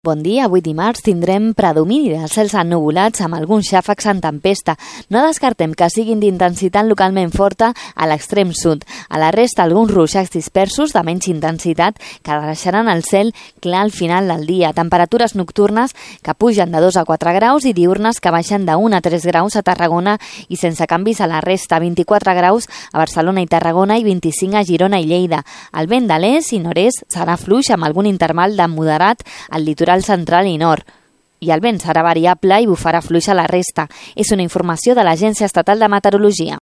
Bon dia, avui dimarts tindrem predomini de cels ennuvolats amb alguns xàfecs en tempesta. No descartem que siguin d'intensitat localment forta a l'extrem sud. A la resta, alguns ruixats dispersos de menys intensitat que deixaran el cel clar al final del dia. Temperatures nocturnes que pugen de 2 a 4 graus i diurnes que baixen de 1 a 3 graus a Tarragona i sense canvis a la resta. 24 graus a Barcelona i Tarragona i 25 a Girona i Lleida. El vent de l'est i nord-est serà fluix amb algun interval de moderat al litoral central i nord, i el vent serà variable i bufarà fluix a la resta. És una informació de l'Agència Estatal de Meteorologia.